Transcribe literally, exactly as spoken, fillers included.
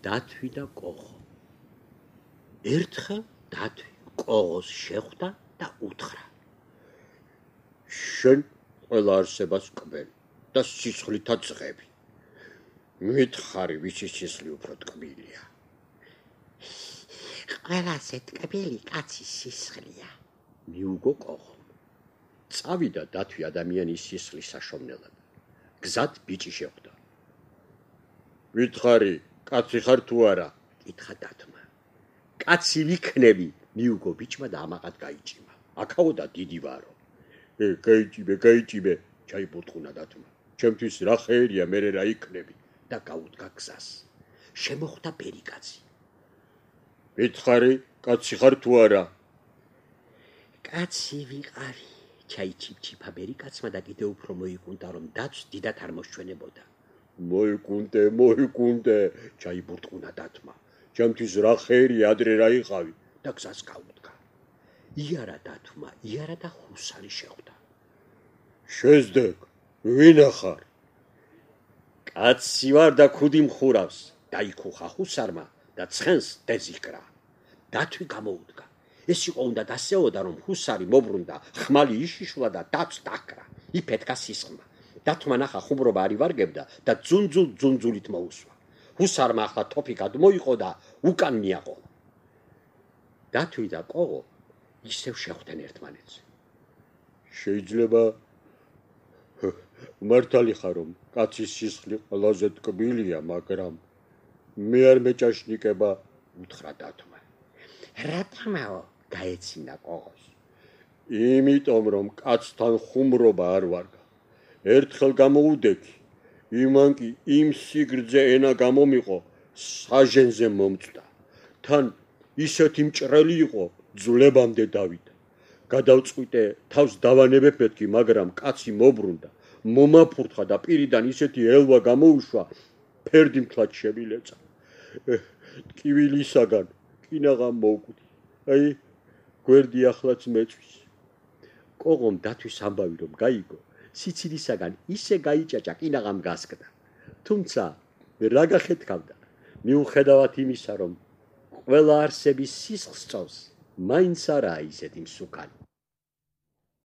დათვი და კოღო. ერთხელ დათვი კოღოს შეხვდა და უთხრა: შენ ყველა არსებას კბელი და სისხლითაც წღები. მითხარი, ვისი სისხლი უფრო ტკბილია? ყველაზე ტკბილი კაცის სისხლია, მიუგო კოღომ. წავიდა დათვი ადამიანის სისხლის საშოვნელად. გზად ბიჭი შეხვდა. მითხარი, კაცი ხარ თუ არა? კითხა დათვმა. კაცი ვიქნები, მიუგო ბიჭმა და ამაყად გაიჭიმა. აქაოდა დიდი ვარო. ე, გაიჭიმე, გაიჭიმე, ჩაიბურტყუნა დათვმა. ჩემთვის რა ხერია, მერე რა იქნები და გაუდგა გზას. შემოხვდა ბერი კაცი. მითხარი, კაცი ხარ თუ არა? კაცი ვიყავი, ჩაიჩიფჩიფა ბერი კაცმა და კიდევ უფრო მოიკუნდა, რომ დათვს დიდად არ მოსჩვენებოდა. მოიკუნდე, მოიკუნდე, ჩაიბურტყუნა დათვმა. ჩემთვის რა ხერია, ადრე რა იყავი და გზას გაუდგა. იარა დათვმა, იარა და ჰუსარი შეხვდა. შეზდეკ, ვინა ხარ? კაცი ვარ და ქუდი მხურავს, დაიქუხა ჰუსარმა და ცხენს დეზიკრა. დათვი გამოუდგა. ეს იყო უნდა დასეოდა, რომ ჰუსარი მობრუნდა, ხმალი იშიშვლა და დათვს დაკრა. იფეთქა სისხლმა. დათვმა ნახა ხუმრობა არ ივარგებდა და ძუნძულ ძუნძულით მოუსვა. ჰუსარმა ახლა თოფი გადმოიყო და უკან მიაყოლა. დათვი და კოღო ისევ შეხვდნენ ერთმანეთს. შეიძლება მართალი ხარ, რომ კაცის სისხლი ყველაზე ტკბილია, მაგრამ მე არ მეჭაშნიკება, უთხრა დათვმა. რატომაო? გაეცინა კოღოს. იმიტომ, რომ კაცთან ხუმრობა არ ვარგა. ერთხელ გამოუდექი, იმან კი იმ სიგრძე ენა გამომიყო, საჟენზე მომწდა. თან ისეთი მჭრელი იყო, ძვლებამდე დავიდა. გადავწყვიტე, თავს დავანებებ მეთქი, მაგრამ კაცი მობრუნდა, მომაფურთხა და პირიდან ისეთი ელვა გამოუშვა, ფერდი მთლად შემილეწა. ტკივილისაგან კინაღამ მოვკვდი. აი, გვერდი ახლაც მეწვის. კოღომ დათვის ამბავი რომ გაიგო, სიცილისაგან ისე გაიჭაჭა, კინაღამ გასკდა. თუმცა რა გახეთქავდა, მიუხედავად იმისა, რომ ყველა არსების სისხლს სწოვს, მაინც არაა ისეთი მსუქანი.